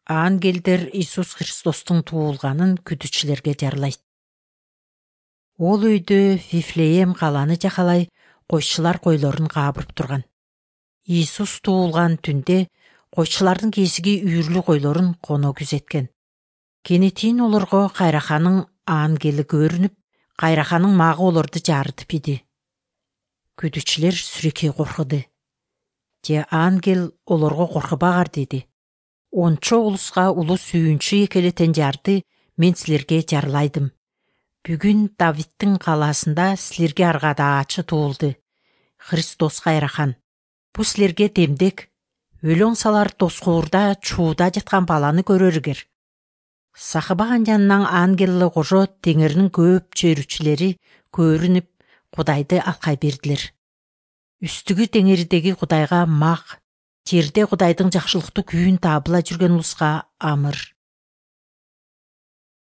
Ангелдер Иисус Христостун туулганын күтүүчүлөргө жарлайт. Ол үйдө Вифлеем каланы жакалай койчулар койлорун каабырып турган. Иисус туулган түндө койчулардын кесиги үйүрлүү койлорун коно күзеткен. Кенетин олорго кайраханын ангели көрүнүп, кайраханын магы олорду жарытып иди. Күтүүчүлөр сүрөкөй коркуду. Же ангел олорго коркубагар деди. Ончо улуска улуу сүйүнчү экелетен жарды мен силерге жарлайдым. Бүгүн Давидтин калаасында силерге аргада ачы туулду. Христос кайрахан. Бу силерге демдек, өлөң салар тоскуурда чууда жаткан баланы көрөрүгер. Сахыбаган жанынан ангелле кожо теңиринин көп чөйрүчүлери көрүнүп, Кудайды алкай бердилер. Үстүгү теңирдеги Кудайга мак, жерде Кудайдын жакшылыктуу күйүн таабыла жүргөн улуска амыр.